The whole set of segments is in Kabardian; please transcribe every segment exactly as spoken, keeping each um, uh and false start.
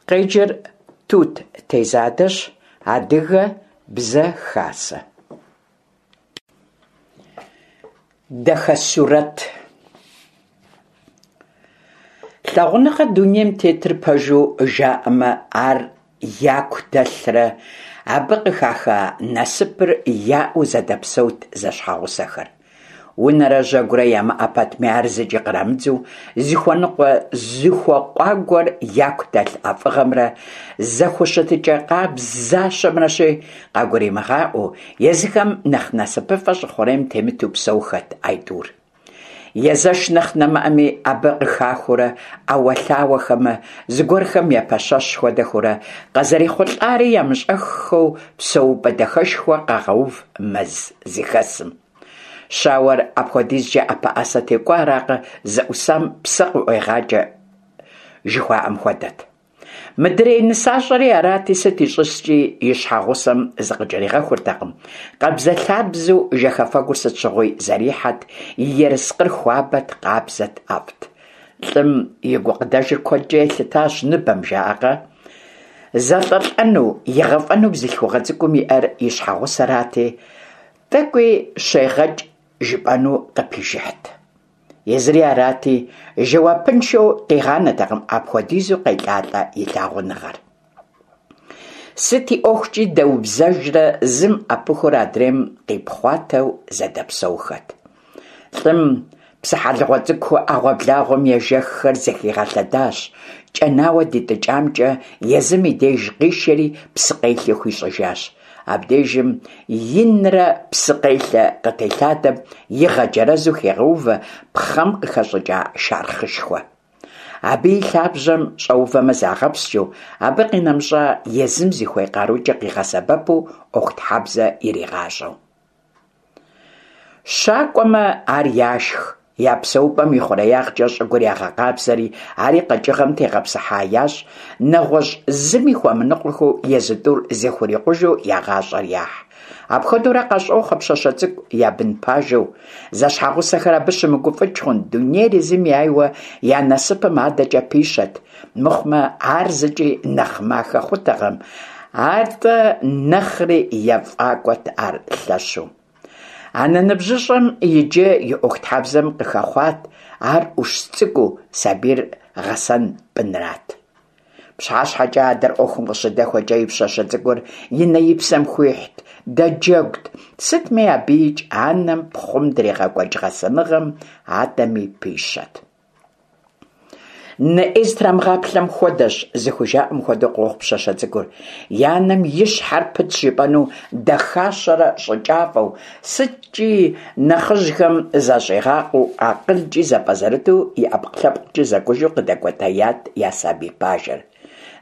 Къеджэр Тут Тезадэщ, Адыгэ Бзэ Хасэ. Дахэсурэт. Лъагъуныгъэ дунейм тетыр пэжу жаӀэмэ, ар яку дэлърэ абы къыхаха насыпыр яӀэу зэдэпсэут зэщхьэгъусэхэр. Унэрэ жьэгурэ ямыӀэ пэтми, ар зыкӀи кърамыдзэу, зыхуэныкъуэ-зыхуэкъуагуэр яку дэлъ ӀэфӀыгъэмрэ зэхущытыкӀэ къабзащэмрэщи, къагуримыгъаӀуэу, езыхэм нэхъ насыпыфӀэ щӀы хъурейм темыту псэухэт аитӀур. Езэш нэхъ нэмыӀэми, абы къыхахыурэ, Ӏэуэлъауэхэмэ, зыгуэрхэм епэщэщ хуэдэхэурэ, къазэрехъулӀари ямыщӀэххэу, псэупӀэ дахэшхуэ къагъэув мэз зыхэсым. Щауэр апхуэдизкӀэ ӀэпэӀэсэти, кӀуэаракъэ, зыӀусам псэ къыӀуегъакӀэ жыхуаӀэм хуэдэт. Мыдрей нысащӀэри арати, сыт ищӀыскӀи и щхьэгъусэм зыкъыкӀэригъэхуртэкъым, къабзэлъабзэу жэхэфэгур сыт щыгъуи зэрихьэт, и ерыскъыр хуабэт, къабзэт, ӀэфӀт. ЛӀым и гукъыдэжыр куэдкӀэ елъытащ ныбэм, жаӀакъэ? ЗэлӀэлӀэну, игъэфӀэну бзылъхугъэ цӀыкӀум иӀэр и щхьэгъусэрати, тӀэкӀуи щегъэкӀ жыпӀэну къыпижыхьт. Езыри арати, жэуапыншэу къигъанэтэкъым апхуэдизу къелӀалӀэ и лъагъуныгъэр. Сыт и ӀуэхукӀи дэубзэжрэ зым Ӏэпыхур адрейм къипхъуатэу зэдэпсэухэт. ЛӀым псыхьэлыгъуэ цӀыкӀу Ӏэгъуэблагъуэм ежэххэр зэхигъэлъэдащ, кӀэнауэ дитӀыкӀамкӀэ езым и деж къишэри псыкъелъэ хуищӀыжащ. Абдежым инрэ псыкъелъэ къытелъадэм игъэджэрэзу хегъэувэ пхъэм къыхэщӀыкӀа шэрхъышхуэ. Абы и лъабжьэм щӀэувэмэ загъэпскӀыу, абы къинэмыщӀа езым зыхуей къарукӀэ къигъэсэбэпу Ӏуэхутхьэбзэ иригъащӀэу. ЩакӀуэмэ ар яшх, я псэупӀэм и хъуреягъкӀэ щӀыгур ягъэкъабзэри, ари къэкӀыгъэм тегъэпсыхьа ящӀ, нэгъуэщӀ зыми хуэмыныкъуэхэу езы тӀур зэхурикъужу я гъащӀэр яхь. Апхуэдэурэ къащӀохъуэ пщащэ цӀыкӀу я бын пажэу. Зэщхьэгъусэхэр абы щымыгуфӀыкӀ хъунт, дунейр езым яйуэ я насыпым адэкӀэ пищэт, мыхъумэ ар зыкӀи нэхъ махэ хъутэкъым, атӀэ нэхъри ефӀакӀуэт ар лъэщу. Анэ ныбжьыщӀэм иджы и Ӏуэхутхьэбзэм къыхэхъуат, ар Ӏущ цӀыкӀуу сабийр гъэсэн пӀынрат. ПщыхьэщхьэкӀэ адэр Ӏуэхум къыщыдэхуэкӀэ и пщащэ цӀыкӀур и нэ и псэм хуихьт, дэджэгут, сытми абыикӀ анэм пхъум дригъэкӀуэкӀ гъэсэныгъэм адэми пищэт. Нэ Ӏей зытрамыгъаплъэм хуэдэщ зыхужаӀэм хуэдэу къохъу пщащэ цӀыкӀур. И анэм и щхьэр пытщ жыпӀэну дахащэрэ щӀыкӀафӀэу, сыткӀи нэхъыжьхэм защӀигъакъуэу, акъылкӀи зэпӀэзэрыту, и ӀэпкълъэпкъкӀи зэкӀужу къыдэкӀуэтеят я сабий пажэр.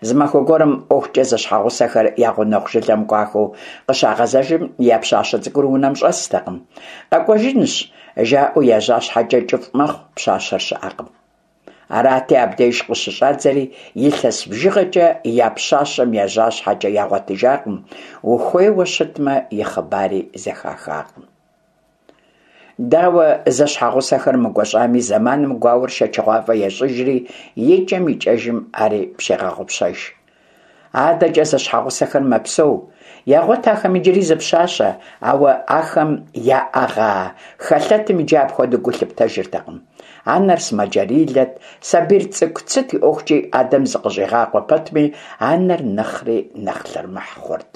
Зы махуэ гуэрым ӀуэхукӀэ зэщхьэгъусэхэр я гъунэгъу жылэм кӀуахэу къыщагъэзэжым, я пщащэ цӀыкӀур унэм щӀэстэкъым. КъэкӀуэжынщ, жаӀэу ежьа щхьэкӀэ кӀыфӀ мэхъу, пщащэр щыӀэкъым. Арати, абдеж къыщыщӀадзэри, илъэс бжыгъэкӀэ я пщащэм ежьа щхьэкӀэ ягъуэтыжакъым, ухуейуэ щытмэ, и хъыбари зэхахакъым. Дауэ зэщхьэгъусэхэр мыгуэщӀами, зэманым гуауэр шэчыгъуафӀэ ещӀыжри, икӀэм-икӀэжым ари пщегъэгъупщэж. АдэкӀэ зэщхьэгъусэхэр мэпсэу, ягъуэт ахэм иджыри зы пщащэ, ауэ ахэм яӀэгъа хэлъэтым иджы апхуэдэу гу лъыптэжыртэкъым. Анэр сымаджэрилэт, сабийр цӀыкӀут, сыт и ӀуэхукӀи адэм зыкъыщӀигъакъуэ пэтми, анэр нэхъри нэхъ лъэрымыхь хъурт.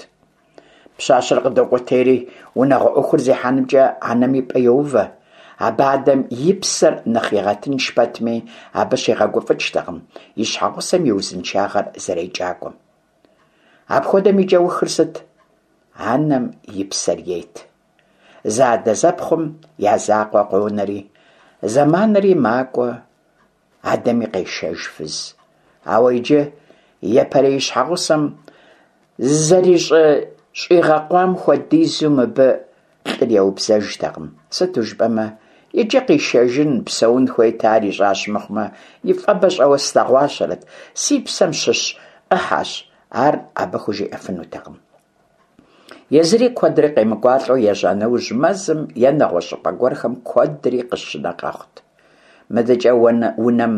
Пщащэр къыдокӀуэтейри, унагъуэ Ӏуэхур зехьэнымкӀэ анэм и пӀэ йоувэ. Абы адэм и псэр нэхъ игъэтынш пэтми, абы щигъэгуфӀыкӀтэкъым и щхьэгъусэм и узыншагъэр зэрекӀакӀуэм. Апхуэдэм и кӀэухыр сыт? Анэм и псэр ет. Зэадэзэпхъум я закъуэ къонэри, зэманри макӀуэ, адэми къешэж фыз. Ауэ иджы япэрей и щхьэгъусэм зэрищӀигъэкъуам хуэдизу мыбы лӀыр еубзэжтэкъым. Сыту жыпӀэмэ, иджы къишэжын, псэун хуейти, ар ищӀащ мыхъумэ, и фӀэбэ щӀэуэ слъэгъуащэрэт, си псэм щыщ Ӏыхьэщ, ар абы хужиӀэфынутэкъым. Езыри куэдрэ къемыкӀуалӀэу ежьа нэужь, мэзым е нэгъуэщӀ щӀыпӀэ гуэрхэм куэдри къыщынэ къэхъут. МыдэкӀэ унэм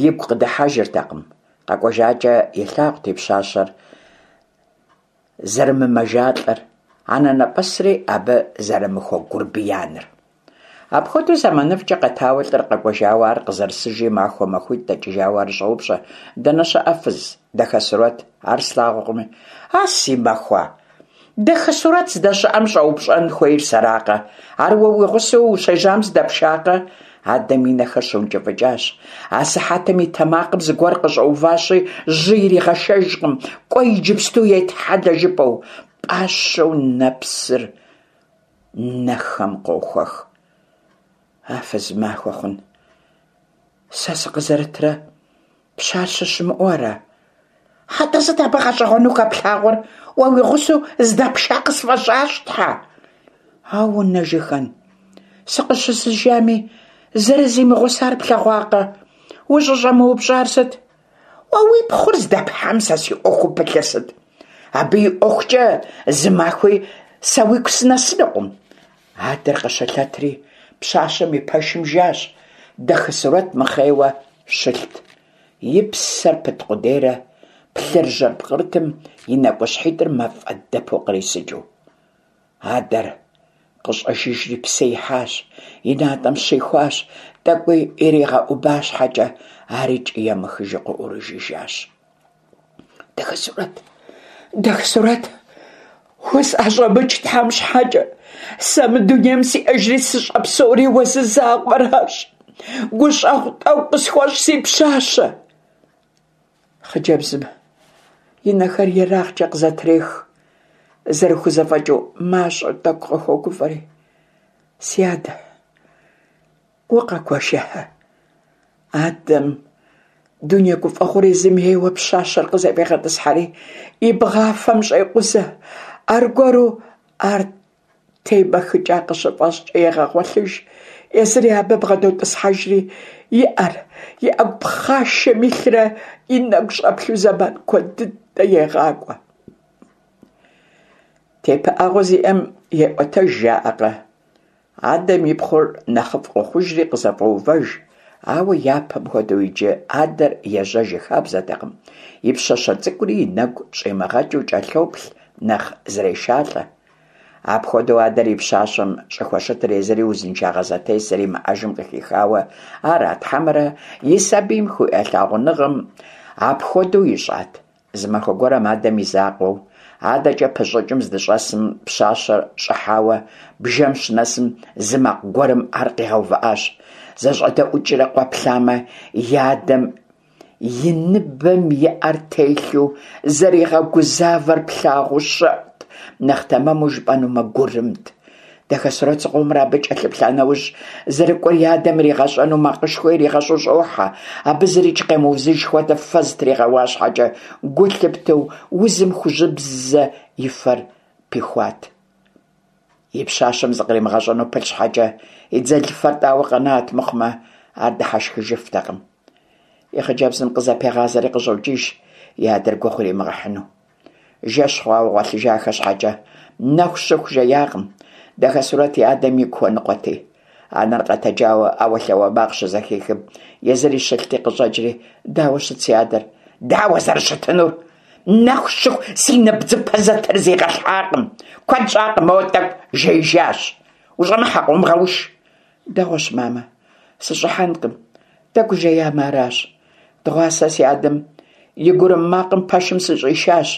игу къыдыхьэжыртэкъым. КъэкӀуэжакӀэ илъагъут и пщащэр зэрымымэжалӀэр, анэнэпӀэсри абы зэрымыхуэгурбияныр. Апхуэдэу зэманыфӀкӀэ къэтауэ лӀыр къэкӀуэжауэ, ар къызэрысыжри махуэ-махуитӀ дэкӀыжауэ ар щӀоупщӀэ: «Дэнэ щыӀэ, фыз, Дахэсурэт? Ар слъагъуркъыми». «А си махуа! Дахэсурэт здэщыӀэм щӀэупщӀэн хуейр сэракъэ? Ар уэ уи гъусэу ущежьам здэпшакъэ?» Адэм и нэхэр щыункӀыфӀыкӀащ. Асыхьэтым и тэмакъым зыгуэр къыщӀэуващи, жьы иригъэшэжкъым, кӀуэ иджыпсту етхьэлэ жыпӀэу. ПӀащӀэу нэпсыр нэхэм къохуэх. А фыз махуэ хъун, сэ сыкъызэрытрэ пщащэ щымыӀэу ара? АтӀэ сыт абы гъэщӀэгъуэну хэплъагъуэр? Уэ уи гъусэу здэпша къысфӀэщӀащ, тхьэ. Ауэ нэжыхэн, сыкъыщысыжами зэрызимыгъусар плъэгъуакъэ? УщӀыщӀэмыупщӀар сыт? Уэ уи пхъур здэпхьам сэ си Ӏуэхуу пылъыр сыт? Абы и ӀуэхукӀэ зы махуи сэ уигу сынэсынукъым. Адэр къыщылъэтри пщащэм и пэшым жащ. Дахэсурэт мыхъейуэ щылът. И псэр пыт къудейрэ плъыржьэр пкърытым и нэкӀущхьитӀыр мафӀэ дэпу кърисыкӀыу. Адэр къыщӀэжыжри псы ихьащ, и натӀэм щихуащ, тӀэкӀуи иригъэӀуба щхьэкӀэ, арикӀ емыхыжу къыӀурыжыжащ. Дахэсурэт, Дахэсурэт, усӀэщӀэмыкӀ Тхьэм щхьэкӀэ, сэ мы дунейм сиӀэжри сыщӀэпсэури уэ зы закъуэращ. ГущӀэгъу тӀэкӀу къысхуэщӀ, си пщащэ. Хъыджэбзым и нэхэр ерагъкӀэ къызэтрех, зэрыхузэфӀэкӀыу мащӀэу тӀэкӀу къыхуогуфӀэри. Си адэ, укъэкӀуэжа? Адэм дуней гуфӀэгъуэр езым ейуэ пщащэр къызэфӀегъэтӀысхьэри и бгъафэм щӀекъузэ, аргуэру ар темэхыкӀа къыщыфӀэщӀкӀэ егъэгъуэлъыж. Езыри абы бгъэдотӀысхьэжри и Ӏэр и Ӏэгу пхъашэм илърэ и нэгу щӀэплъу зэман куэд дыдэ егъакӀуэ. ТепыӀэгъуэ зиӀэм еӀуэтэж жаӀэкъэ? Адэм и пхъур нэхъыфӀ къохъужри къызэфӀоувэж, ауэ япэм хуэдэу иджы адэр ежьэж и хабзэтэкъым, и пщащэ цӀыкӀури и нэгу щӀимыгъэкӀыу кӀэлъоплъ, нэхъ зрешалӀэ. Апхуэдэу адэр и пщащэм щӀыхущытыр езыри узыншагъэ зэтес зэримыӀэжым къыхихауэ арат, хьэмэрэ и сабийм хуиӀэ лъагъуныгъэм апхуэдэу ищӀат? Зы махуэ гуэрым адэм и закъуэу адэкӀэ пыщӀыкӀым здыщӀэсым пщащэр щӀыхьауэ бжэм щынэсым зы макъ гуэрым ар къигъэувыӀащ. ЗэщӀэдэӀукӀрэ къэплъамэ, и адэм и ныбэм и Ӏэр телъу зэригъэгузавэр плъагъуу щэӀут, нэхъ тэмэму жыпӀэнумэ, гурымт. Дахэсурэт зыкъомрэ абы кӀэлъыплъа нэужь, зэрыкӀуэр и адэм иригъэщӀэну макъышхуэ иригъэщӀу щӀохьэ. Абы зырикӀ къемыузыж хуэдэ фэ зытригъэуа щхьэкӀэ, гу лъыптэу узым хужьыбзэ и фэр пихуат. И пщащэм зыкъримыгъэщӀэну пылъ щхьэкӀэ, и дзэлыфэр тӀауэ къэнат мыхъумэ, ар дыхьэшхыжыфтэкъым. И хъыджэбзым къызэпегъазэри къыщӀокӀыж, и адэр гугъу иримыгъэхьыну. Жэщ хъуауэ гъуэлъыжахэ щхьэкӀэ, нэху щыху жеякъым. Дахэсурэт и адэм игу хуэныкъуэти. Анэр къэтэджауэ ӏэуэлъауэ макъ щызэхихым, езыри щылъти къыщӀэкӀри, дауэ щыт си адэр? Дауэ зэрыщытынур? Нэху щыху си нэбдзыпэ зэтрызигъэлъхьакъым. Куэд щӀакъым, моуэ тӀэкӀу жеижащ. УщӀэмыхьэ, къыумыгъэуш. Дэгъуэщ, мамэ, сыщӀыхьэнкъым. ТӀэкӀу жеямэ аращ. Дыгъуасэ си адэм и гурым макъым пэшым сыщӀишащ.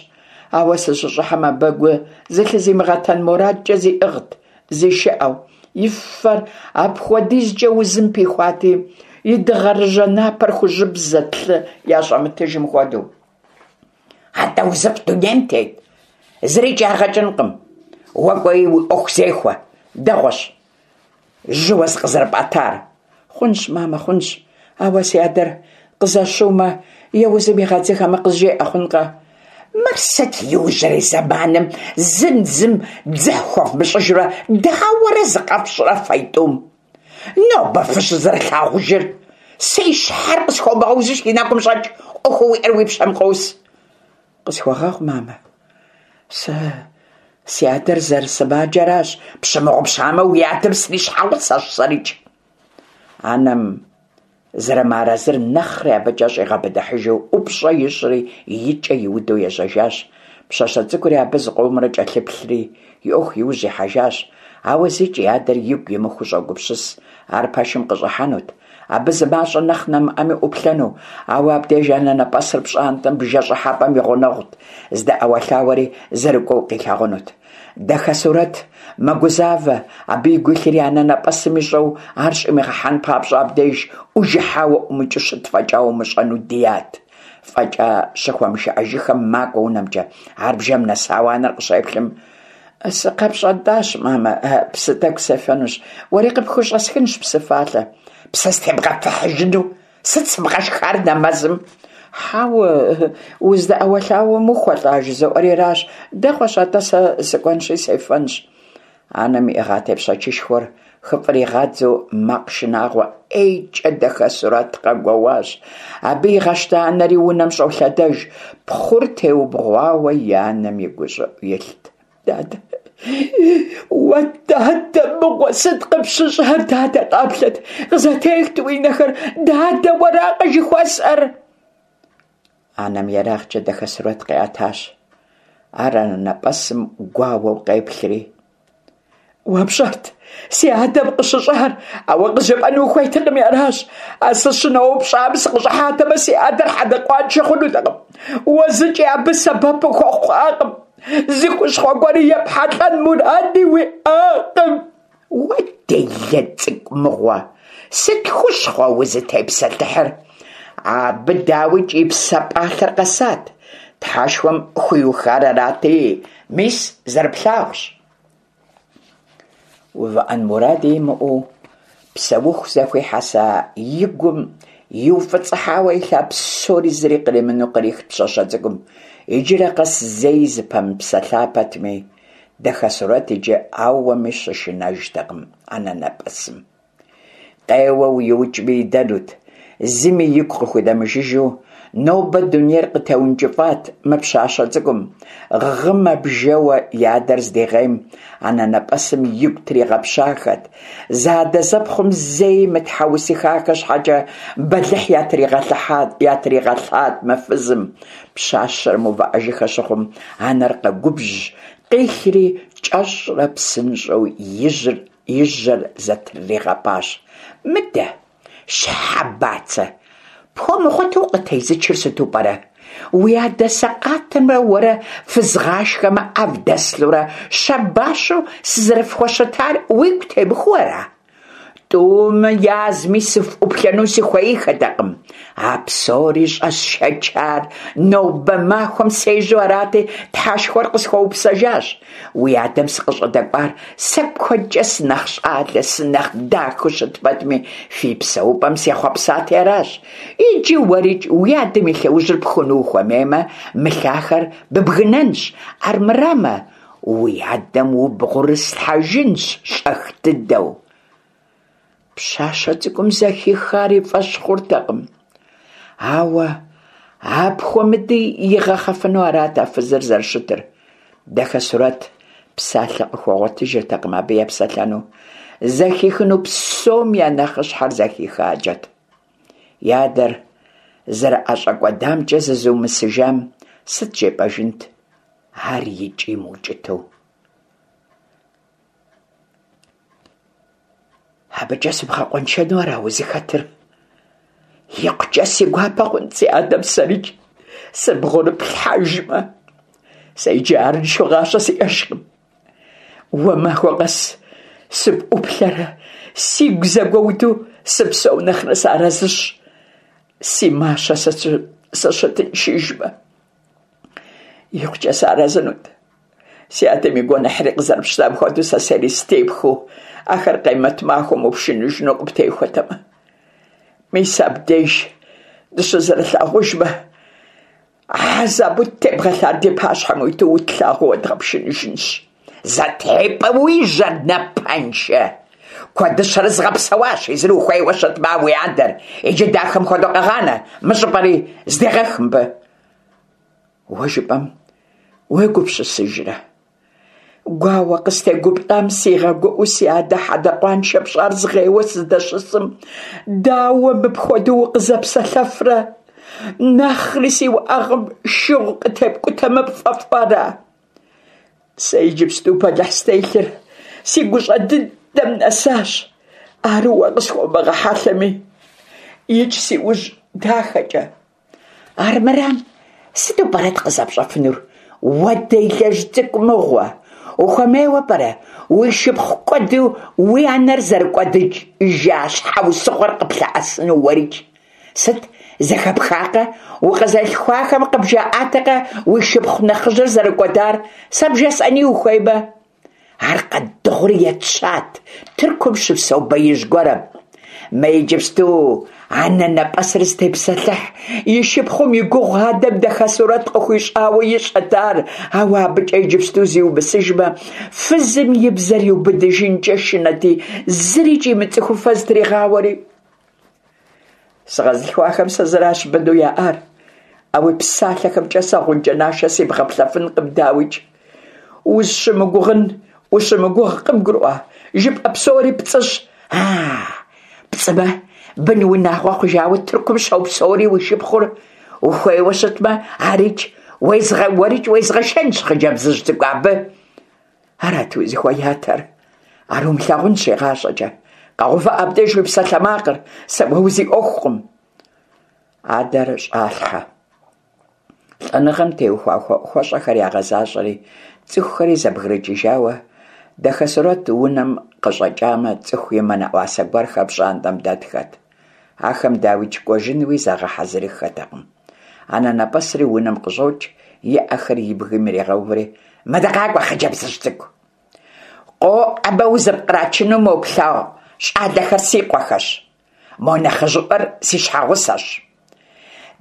Ауэ сыщыщӀыхьэм абы гу зылъызимыгъэтэн мурадкӀэ зиӀыгът, зишыӀэу. И фэр апхуэдизкӀэ узым пихуати, и дыгъэрыжьэ напэр хужьыбзэт, лъы ящӀэмытыжым хуэдэу. АтӀэ узыфӀ дунейм тет? ЗырикӀ ягъэкӀынкъым. Уэ кӀуэи уи Ӏуэху зехуэ. Дэгъуэщ жьыуэ зыкъызэрыпӀэтар. Хъунщ, мамэ, хъунщ. Ауэ си адэр къызэщыумэ е узым игъэдзыхэмэ къызжеӀэ хъункъэ? Мыр сыт иужьрей зэманым зым зым дзыхь хуэвмыщӀыжурэ дауэрэ зыкъэфщӀрэ фэитӀум? Нобэ фыщызэрылъагъужыр? Си щхьэр къысхуэмыгъэузу си нэгум щӀэкӀ, Ӏуэхуу уиӀэр уи пщэм къос. Къысхуэгъэгъу, мамэ. Сэ си адэр зэрысымаджэращ. Пщымыгъупщамэ, уи адэм срищхьэгъусэщ сэрикӀ. Анэм Зэрымыарэзыр нэхъри абыкӀэ щӀигъэбыдыхьыжу ӀупщӀэ ищӀри и кӀэ иуду ежьэжащ. Пщащэ цӀыкӀури абы зыкъомрэ кӀэлъыплъри и Ӏуэху иужь ихьэжащ. Ауэ зикӀ и адэр игу имыхуу щӀогупсыс. Ар пэшым къыщӀыхьэнут, абы зы мащӀэ нэхъ нэмыӀэми Ӏуплъэну, ауэ абдеж анэнэпӀэсыр пщӀантӀэм бжэ щӀыхьэпӀэм и гъунэгъут, здэӀэуэлъауэри зэрыкӀуэу къилъагъунут. Дахэсурэт мэгузавэ, абы игу илъыр и анэнэпӀэсым ищӀэу ар щӀимыгъэхьэн папщӀэ абдеж Ӏужыхьауэ ӀумыкӀыу щыт фӀэкӀа умыщӀэну дият. ФӀэкӀа щыхуэмышыӀэжыхэм макӀуэ унэмкӀэ. Ар бжэм нэсауэ анэр къыщеплъым: «СыкъэпщӀэнтӀащ, мамэ, псы тӀэкӀу сефэнущ, уэри къыпхущӀэсхынщ псы фалъэ». «Псы стебгъэфыхьыжыну? Сыт сыбгъэшхар нэмэзым?» «Хьэуэ, уздэӀэуэлъауэм ухуэлӀа жызоӀэри аращ. Дэгъуэщ атӀэ, сэ сыкӀуэнщи сефэнщ». Анэм иӀыгъа тепщэчышхуэр хыфӀригъадзэу макъ шынагъуэ ӀейкӀэ Дахэсурэт къэгуэуащ. Абы игъэщта анэри унэм щӀолъэдэж. Пхъур теубгъуауэ и анэм и гущӀыӀу илът. «Дадэ, уэ дадэ мыгъуэ, сыт къыпщыщӀар? Дадэ, къаплъэт, къызэтехт уи нэхэр, дадэ, уэракъэ жыхуэсӀэр?» Анэм ерагъкӀэ Дахэсурэт къиӀэтащ. Ар анэнэпӀэсым гуауэу къеплъри: «Уэ пщӀэрт си адэм къыщыщӀар, ауэ къызжепӀэну ухуейтэкъыми аращ. А сыщыноупщӀам сыкъыщӀыхьатэмэ, си адэр хьэдэкъуаншэ хъунутэкъым. Уэ зыкӀи абы сэбэп ухуэхъуакъым, зы хущхъуэ гуэри епхьэлӀэн муради уиӀакъым». «Уэ делэ цӀыкӀу мыгъуэ, сыт хущхъуэ узытепсэлъыхьыр? Абы, дауикӀ, и псэ пӀалъэр къэсат. Тхьэшхуэм хуиухар арати, мис, зэрыплъагъущ». УвыӀэн муради имыӀэу, псэуху зэхуихьэса и гум иуфӀыцӀыхьауэ илъа псори зыри къримыну кърихт пщащэ цӀыкӀум. Иджырэ къэс зэи зыпэмыпсэлъа пэтми, Дахэсурэт иджы ауэми щышынэжтэкъым анэнэпӀэсым. Къеуэу иукӀми идэнут, зыми игу къыхудэмыжыжу нобэ дунейр къытеункӀыфӀат мы пщащэ цӀыкӀум. Гъымэ бжэуэ и адэр здигъейм, анэнэпӀэсым игу тригъэпщахэт. Зэадэзэпхъум зэи мытхьэусыхахэ щхьэкӀэ бэлыхь ятригъэлъат мы фызым. Пщащэр мыувыӀэжыххэ щыхъум, анэр къэгубжьщ, къилъри кӀэщӀрэ псынщӀэу и жьэр зэтрыригъэпӀащ. «Мыдэ, щхьэ бацэ, пхуэмыгъуэту укъытезычыр сыту пӀэрэ? Уи адэ сэкъатымрэ уэрэ фызгъашхэмэ Ӏэ вдэслъурэ щабащэу сызэрыфхущытар уигу темыхуэу ара? ТӀум язми сыфӀуплъэну сыхуеиххэтэкъым. А псори щӀэсшэчар нобэ махуэм сежьэу арати, Тхьэшхуэр къысхуэупсэжащ. Уи адэм сыкъыщӀыдэкӀуар сэ куэдкӀэ сынэхъ щӀалэ, сынэхъ дахэу щыт пэтми, фи псэупӀэм сехъуэпсати аращ. Иджы уэрикӀ уи адэм и лъэужьыр пхуну ухуэмеймэ, мы лъахэр быбгынэнщ, армырамэ, уи адэм убгъурыслъхьэжынщ щӀэх дыдэу». Пщащэ цӀыкӀум зэхихар и фӀэщ хъуртэкъым. Ауэ апхуэмыди игъэхъэфыну арат а фызыр зэрыщытыр. Дахэсурэт псалъэ къыхуэгъуэтыжыртэкъым абы епсэлъэну. Зэхихыну псом я нэхъыщхьэр зэхихакӀэт. И адэр зэрыӀэщӀэкӀуэдамкӀэ зызыумысыжам сыт жепӀэжынт, ар икӀи мыукӀытэу. «АбыкӀэ сыбгъэкъуэншэну ара узыхэтыр? ИкъукӀэ си гуапэ хъунт си адэм сэрикӀ сыбгъурыплъхьэжмэ. Сэ иджы арыншэу гъащӀэ сиӀэжкъым. Уэ махуэ къэс сыпӀуплъэрэ сигу зэгуэуду сыпсэу нэхърэ сыарэзыщ, си мащэ сыщытыншыжмэ. ИкъукӀэ сыарэзынут. Си адэм и гуэныхьри къызэрыпщтам хуэдэу сэ сэри степхыу, ахэр къемэт махуэм упшыныжыну къыптехуэтэмэ. Мис абдеж дыщызэрылъагъужмэ, хьэзабу ттебгъэлъар ди пащхьэм уиту утлъагъуу уэдгъэпшыныжынщ. ЗэтепӀэ уи жьэр, напэншэ! Куэдыщэрэ згъэпсэуащ, езыр ухуейуэ щытмэ уи адэр. Иджы дахэм хуэдэу къэгъанэ, мы щӀыпӀэри здегъэх мыбы. Уэ жыпӀэм уегупсысыжрэ? Гуауэ къыстегуплӀам сигъэгуӀэу си адэ хьэдэ къуаншэ пщӀар згъейуэ сыздэщысым, дауэ мыпхуэдэу укъызэпсэлъэфрэ? Нэхъри си уӀэгъэм шыгъу къытепкӀутэмэ пфӀэфӀу ара? Сэ иджыпсту бэлыхь стелъыр си гущӀэ дыдэм нэсащ. Ар уэ къысхуомыгъэхьэлъэми, икӀ си ужь дахэкӀэ. Армырам, сыту пӀэрэт къызэпщӀэфынур? Уэ делэжь цӀыкӀу мыгъуэ! Ухуэмейуэ пӀэрэ уи шыпхъу кӀуэду уи анэр зэрыкӀуэдыжа щхьэусыгъуэр къыплъэӀэсыну уэрикӀ? Сыт, зэхэпхакъэ, укъэзылъхуахэм къыбжаӀатэкъэ уи шыпхъу нэхъыжьыр зэрыкӀуэдар? Сэ бжесӀэни ухуеймэ? Ар къэддыгъури етщат Тыркум щыпсэу беижь гуэрым. Мы иджыпсту анэнэпӀэсыр зытепсэлъыхь и шыпхъум и гугъу адэм Дахэсурэт къыхуищӀауэ ищӀэт ар, ауэ абыкӀэ иджыпсту зиумысыжмэ, фызым и бзэр иубыдыжынкӀэ шынэти, зырикӀ имыцӀыхуфэ зытригъауэри. Сыкъэзылъхуахэм сэ зыращ быну яӀар. А уи псалъэхэмкӀэ сэ гъунджэ нашэ сибгъэплъэфынкъым, дауикӀ. Узыщымыгугъын ущымыгугъ, къыбгурыӀуа? ЖыпӀэ псори пцӀыщ. А-а, пцӀымэ, бын унагъуэ хъужауэ Тыркум щопсэури уи шыпхъур. Ухуейуэ щытмэ, арикӀ уэрикӀ уезгъэшэнщ хъыджэбзыжь цӀыкӀу абы. Арат узыхуеятэр. Ар умылъагъунщ игъащӀэкӀэ. КъэгъувыӀэ абдеж уи псалъэмакъыр, сэ уэ узиӀуэхукъым. Адэр щӀалъхьэ. ЛӀэныгъэм теухуа хуэӀухуэщӀэхэр ягъэзащӀэри, цӀыхухэри зэбгрыкӀыжауэ, Дахэсурэт унэм къыщӀэкӀамэ, цӀыху имынэӀуасэ гуэрхэр пщӀантӀэм дэтхэт. Ахэм, дауикӀ, кӀуэжынуи загъэхьэзырыххэтэкъым. АнэнэпӀэсри унэм къыщӀокӀ, и Ӏэхэр и бгым ирегъэувэри, «Мыдэ къакӀуэ, хъыджэбзыжь цӀыкӀу! КъоӀэбэ узэпкърачыну мо плъагъу щӀалэхэр си къуэхэщ. Мо нэхъыжьыӀуэр си щхьэгъусэщ.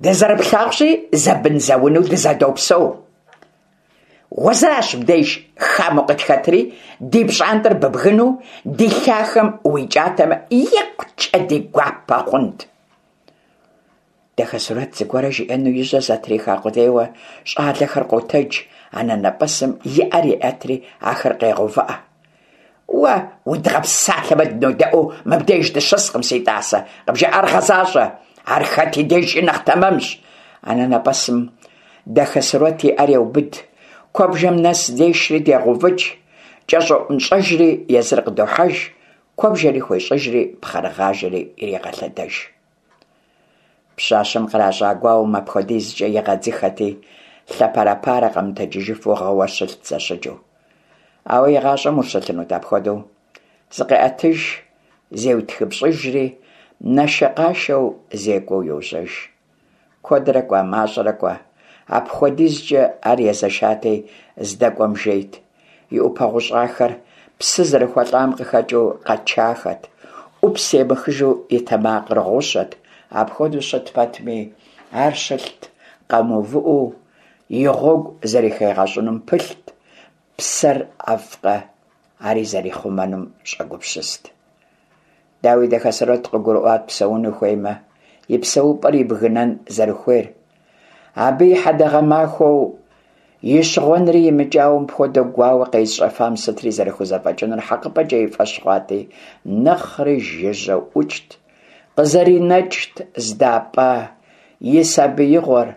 Дызэрыплъагъущи, зэбын-зэунэу дызэдопсэу. Уэ зыращ мыбдеж хамэу къытхэтри, ди пщӀантӀэр быбгынэу, ди лъахэм уикӀатэмэ, икъукӀэ ди гуапэ хъунт». Дахэсурэт зыгуэрэ жиӀэну и жьэр зэтриха къудейуэ, щӀалэхэр къотэдж, анэнэпӀэсым и Ӏэр еӀэтри ахэр къегъэувыӀэ. Уэ удгъэпсалъэмэ дынодэӀуэу мыбдеж дыщыскъым, си тӀасэ, къыбжаӀар гъэзащӀэ. Ар хэт и дежкӀи нэхъ тэмэмщ. АнэнэпӀэсым Дахэсурэт и Ӏэр еубыд, куэбжэм нэс дешри дегъэувыкӀ, кӀэщӀоӀунщӀэжри езыр къыдохьэж, куэбжэри хуещӀыжри пхъэрыгъажэри ирегъэлъэдэж. Пщащэм къращӀа гуауэм апхуэдизкӀэ игъэдзыхэти, лъэпэрэпарэ къэмытэджыжыфу гъыуэ щылът зэщыджэу. Ауэ игъащӀэм ущылъынут апхуэдэу? ЗыкъеӀэтыж, зеутхыпщӀыжри, нашэкъашэу зекӀуэу йожьэж. Куэдрэ кӀуа, мащӀэрэ кӀуа, апхуэдизкӀэ ар езэшати, здэкӀуэм жейт. И Ӏупэ гъущӀахэр псы зэрыхуэлӀам къыхэкӀыу къэчахэт, Ӏупс емыхыжу и тэмакъыр гъущэт. Апхуэдэу щыт пэтми, ар щылът къэмыувыӀэу, и гъуэгу зэрыхигъэщӀынум пылът, псэр ӀэфӀкъэ, ари зэрихъумэнум щӀэгупсыст. Дауи, Дахэсурэт къыгурыӀуат псэуну хуеймэ, и псэупӀэр ибгынэн зэрыхуейр. Абы и хьэдэгъэ махуэу и щыгъуэнри имыкӀауэ мыпхуэдэ гуауэ къезыщӀэфам сытри зэрыхузэфӀэкӀынур хьэкъыпӀэкӀэ и фӀэщ хъуати, нэхъри жыжьэу ӀукӀт, къызэринэкӀт здапӀа и сабиигъуэр,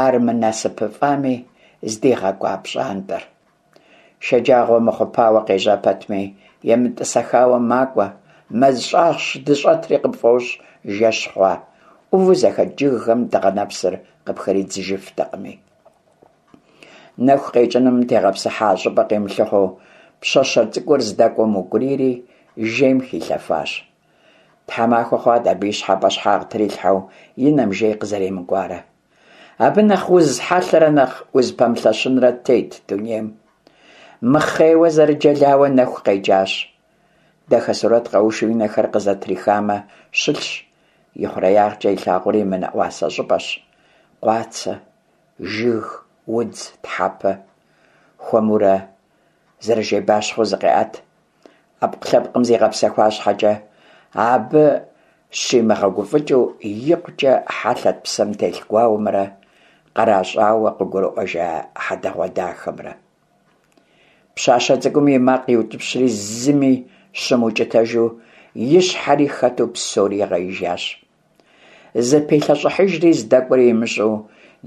ар мынасыпыфӀами, здигъэкӀуа пщӀантӀэр. Шэджагъуэ мыхъупауэ къежьа пэтми, емытӀысэхауэ макӀуэ, мэз щӀагъщ здыщӀэтри къыпфӀощӀ жэщ хъуа, Ӏуву зэхэт жыгхэм дыгъэ нэпсыр къыпхридзыжыфтэкъыми. Нэху къекӀыным тегъэпсыхьа щӀыпӀэ къимылъыхъуэу, пщащэ цӀыкӀур здэкӀуэм укӀурийри, жейм хилъэфащ. Тхьэмахуэ хъуат абы и щхьэ пӀэщхьагъ трилъхьэу и нэм жей къызэремыкӀуарэ. Абы нэхъ уз хьэлъэрэ нэхъ узыпэмылъэщынрэ тет дунейм. Мыхъейуэ зэрыджэлауэ нэху къекӀащ. Дахэсурэт къэушу и нэхэр къызэтрихамэ, щылъщ. И хъуреягъкӀэ илъагъур имынэӀуасэ щӀыпӀэщ. Къуацэ, жыг, удз, тхьэпэ. Хуэмурэ зэрыжейбащхъуэу зыкъеӀэт. Ӏэпкълъэпкъым зигъэпсэхуа щхьэкӀэ, абы щимыгъэгуфӀыкӀыу икъукӀэ хьэлъэт псэм телъ гуауэмрэ къращӀауэ къыгурыӀуэжа хьэдэгъуэдахэмрэ. Пщащэ цӀыкӀум и макъ иутӀыпщри, зыми щымыукӀытэжу, и щхьэри хэту псори игъеижащ. ЗыпилъэщӀыхьыжри, здэкӀуэри имыщӀэу,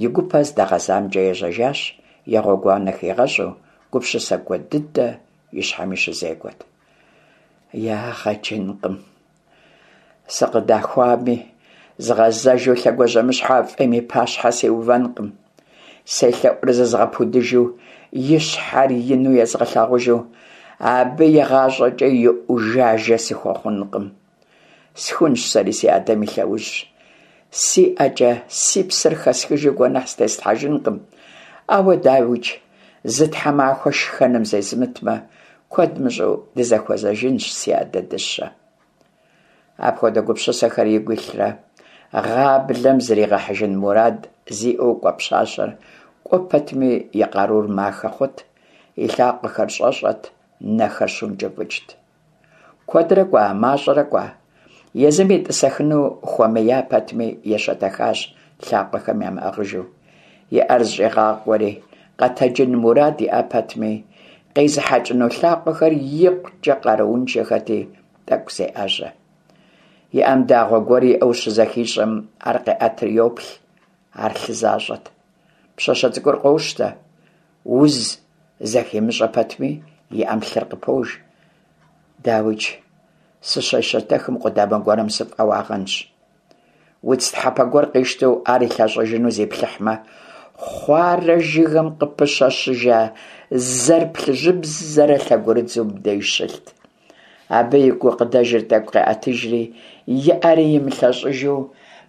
и гупэ здэгъэзамкӀэ ежьэжащ, и гъуэгуанэр хигъэщӀу, гупсысэ куэд дыдэ и щхьэми щызекӀуэрт. Ягъэ кӀынкъым, сыкъыдахуами, згъэзэжу лъэгуажьэмыщхьэу а фӀейм и пащхьэ сиувэнкъым. СелъэӀурэ зызгъэпудыжу, и щхьэр ину езгъэлъагъужу, абы игъащӀэкӀэ и Ӏужажэ сыхуэхъункъым. Схунщ сэри си адэм и лъэужь. Си ӀэкӀэ си псэр хэсхыжу гуэныхь зытеслъхьэжынкъым. Ауэ, дауикӀ, зы тхьэмахуэ шхэным зезмытмэ, куэд мыщӀэу дызэхуэзэжынщ, си адэ дыщэ. Апхуэдэ гупсысэхэр игу илърэ, гъаблэм зригъэхьыжын мурад зиӀэу кӀуэ пщащэр кӀуэ пэтми и къарур махэ хъурт, и лъакъуэхэр щӀэщӀэрт, нэхэр щункӀыфӀыкӀт. Куэдрэ кӀуа, мащӀэрэ кӀуа, езым етӀысэхыну хуэмея пэтми, ещэтэхащ лъакъуэхэм ямыӀыгъыжу. И Ӏэр зыщӀигъакъуэри, къэтэджын мурад иӀа пэтми, къезыхьэкӀыну лъакъуэхэр икъукӀэ къарууншэхэти, тӀэкӀу зеӀэжьэ. И Ӏэм дагъуэ гуэр иӀэу щызэхищӀэм, ар къеӀэтри йоплъ, ар лъы защӀэт. Пщащэ цӀыкӀур къощтэ, уз зэхимыщӀэ пэтми, и Ӏэм лъыр къыпож. ДауикӀ, сыщещэтэхым къудамэ гуэрым сыфӀэуагъэнщ. Удз тхьэпэ гуэр къищтэу ар илъэщӀыжыну зиплъыхьмэ, хуарэ жыгым къыпыщэщыжа зэр плъыжьыбзэрэ лъэгурыдзу мыбдеж щылът. Абы и гукъыдэжыр тӀэкӀу къеӀэтыжри, и Ӏэри имылъэщӀыжу,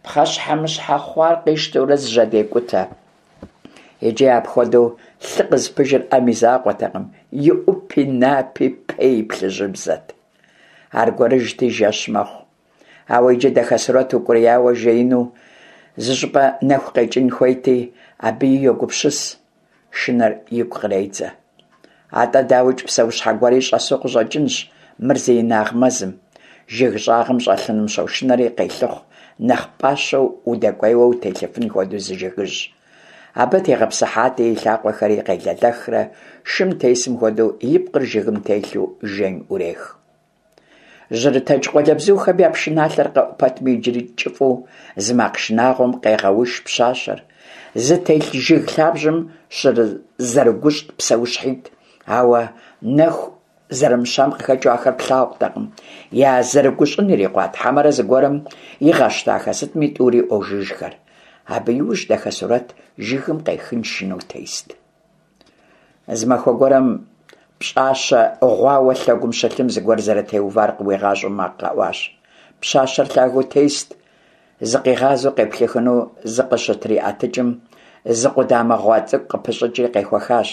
пхъэщхьэмыщхьэ хъуар къищтэурэ зыжьэдекӀутэ. Иджы апхуэдэу лъы къызыпыжыр Ӏэм и закъуэтэкъым, и Ӏупи, напи, пэи плъыжьыбзэт. Аргуэрыжьти, жэщ мэхъу. Ауэ иджы Дахэсурэт укӀурияуэ жеину зыщӀыпӀэ нэху къекӀын хуейти, абыи йогупсыс, шынэр игу къредзэ. АтӀэ, дауикӀ, псэущхьэ гуэри щӀэсу къыщӀэкӀынщ мыр зи инагъ мэзым. Жыг щӀагъым щӀэлъыным щошынэри къелъыхъу, нэхъ пӀащэу удэкӀуейуэ утелъыфын хуэдэу зы жыгыжь. Абы тегъэпсыхьати, и лъакъуэхэри къелэлэхрэ шым тесым хуэдэу и пкъыр жыгым телъу жейм Ӏурех. Жьырытэдж къуалэбзухэм я пшыналъэр къэӀу пэтми, иджыри кӀыфӀу зы макъ шынагъуэм къегъэуш пщащэр. Зытелъ жыг лъабжьэм щызэрыгущӀт псэущхьитӀ, ауэ нэху зэрымыщам къыхэкӀыу ахэр плъагъутэкъым. Я зэрыгущӀын ирикъуат, хьэмэрэ зыгуэрым игъэщтахэ сытми, тӀури Ӏуожыжхэр. Абы иужь Дахэсурэт жыгым къехын шынэу тест. Зы махуэ гуэрым пщӀащэ гъуауэ лъэгум щылъым зыгуэр зэрытеувар къыуигъащӀэу макъ къэӀуащ. Пщащэр лъагэу тест, зыкъигъазэу къеплъыхыну зыкъыщытриӀэтыкӀым, зы къудамэ гъуа цӀыкӀу къыпыщӀыкӀри къехуэхащ.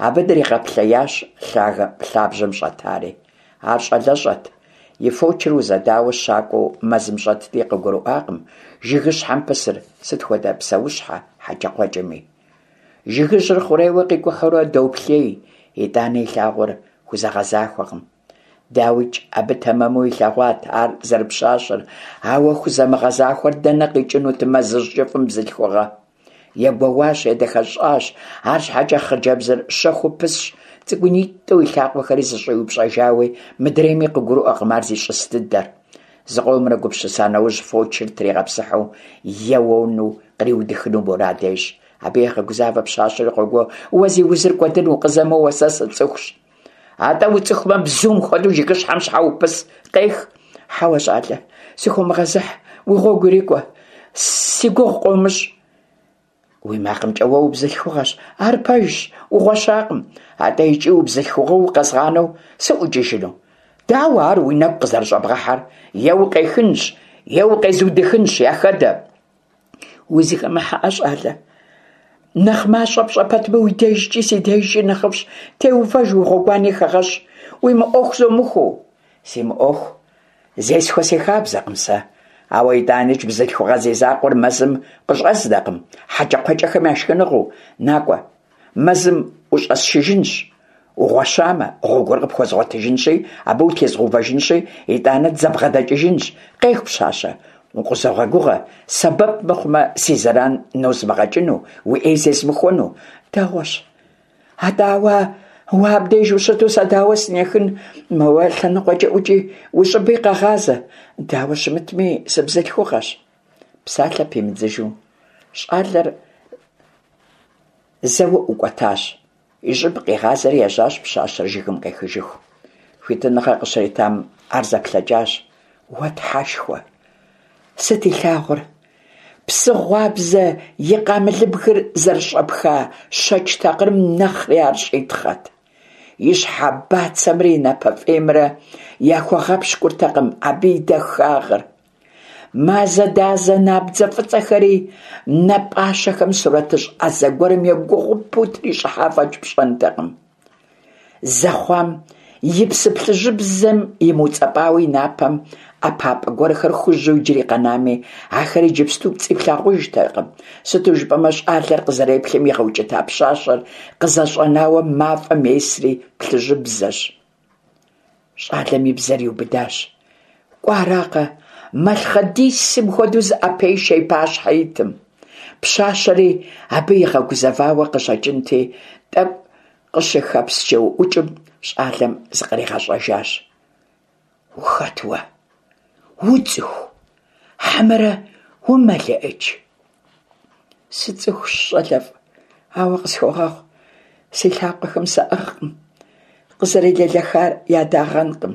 Абы дригъэплъеящ лъагэ лъабжьэм щӀэтари. Ар щӀалэщӀэт, и фочыр узэдауэ щакӀуэу мэзым щӀэтти, къыгурыӀуакъым жыгыщхьэм пысыр сыт хуэдэ псэущхьэ, хьэкӀэкхъуэкӀэми. Жыгыжьыр хъурейуэ къикӀухьурэ доплъей, итӀанэ илъагъур хузэгъэзахуэкъым. ДауикӀ, абы тэмэму илъэгъуат ар зэрыпщащэр, ауэ хузэмыгъэзахуэр дэнэ къикӀынут мэзыжь кӀыфӀым бзылъхугъэ? Егуэуащ, едэхэщӀащ, арщхьэкӀэ хъыджэбзыр щэхуу пысщ, цӀыкӀунитӀэу и лъакъуэхэри зэщӀиупщӀэжауи, мыдрейми къыгурыӀуэкъым ар зищӀыс дыдэр. Зыкъомрэ гупсыса нэужь, фочыр тригъэпсыхьу еуэну къриудыхыну мурад ещӀ. Абы егъэгузавэ пщащэри къогуо: «Уэ зи узыр кӀуэдын, укъызэмыуэ, сэ сыцӀыхущ». АтӀэ уцӀыхумэ, бзум хуэдэу жыгыщхьэм щхьэ упыс, къех. Хьэуэ, щӀалэ, сыхыумыгъэзыхь, уи гъуэгу ирикӀуэ, си гугъу къыумыщӀ. Уи макъымкӀэ уэ убзылъхугъэщ, ар пэжщ, угъуэщакъым. АтӀэ икӀи убзылъхугъэу укъэзгъанэу сыӀукӀыжыну? Дауэ ар уи нэгу къызэрыщӀэбгъэхьэр? Е укъехынщ, е укъезудыхынщ, яхэдэ. УзыхэмыхьэӀэ, щӀалэ. Нэхъ мащӀэ пщӀэ пэтми, уи дежкӀи си дежкӀи нэхъыфӀщ. Теувэж, уи гъуэгуани хэгъэщӀ, уи мыӀуэху зумыхуэу. Си мыӀуэху зесхуэ си хабзэкъым сэ. Ауэ итӀаникӀ бзылъхугъэ зи закъуэр мэзым къыщӀэзнэкъым, хьэкӀэкхъуэкӀэхэм я шхыныгъуэу. НакӀуэ, мэзым ущӀэсшыжынщ. Угъуэщамэ, гъуэгур къыпхуэзгъуэтыжынщи, абы утезгъэувэжынщи, итӀанэ дызэбгъэдэкӀыжынщ. Къех, пщащэ, укъызогъэгугъэ, сэбэп мыхъумэ, си зэран нозмыгъэкӀыну, уи Ӏей зезмыхуэну. Дэгъуэщ. АтӀэ ауэ Уэ абдеж ущыту сэ дауэ сынехын? Моуэ лъэныкъуэкӏэ ӏукӏи, уи щӏыби къэгъазэ. Дауэ щымытми, сыбзылъхугъэщ. Псалъэ пимыдзыжу, щӏалэр зэуэ ӏукӏуэтащ. И щӏыб къигъазэри ежьащ пщащэр жыгым къехыжыху. Хуитыныгъэ къыщритам ар зэплъэкӏащ. Уэ Тхьэшхуэ! Сыт илъагъур? Псы гъуабзэ и къамылыбгыр зэрыщӏэпха щэкӏ такъырым нэхъри ар щӏитхъэт. И щхьэ бацэмрэ и напэ фӏеймрэ яхуэгъэпщкӏуртэкъым абы и дахагъыр. Мазэ дазэ набдзэ фӏыцӏэхэри нэ пӏащэхэм сурэтыщӏ ӏэзэ гуэрым егугъупэу трищӏыхьа фӏэкӏ пщӏэнтэкъым. Зэхъуам и псы плъыжьыбзэм имыуцӏэпӏауэ и напэм ӏэпапӏэ гуэрхэр хужьу иджыри къэнами, ахэр иджыпсту пцӏи плъагъужтэкъым. Сыту жыпӏэмэ, щӏалэр къызэреплъым игъэукӏыта пщащэр къызэщӏэнауэ мафӏэм есри плъыжьыбзэщ. Щӏалэм и бзэр иубыдащ. Кӏуаракъэ, малъхъэдисым хуэдэу зыӏэпешэ и пащхьэ итым. Пщащэри абы игъэгузэвауэ къыщӏэкӏынти, тӏэкӏу къыщыхэпсчэуӏукӏым, щӏалэм зыкъригъэщӏэжащ. Ухэт уэ? Уцӏыху? Хьэмэрэ умэлыӏыч? Сыцӏыхущ, щӏалэфӏ, ауэ къысхуэгъэгъу, си лъакъуэхэм саӏыгъкъым, къызэрелэлэхар ядагъэнкъым.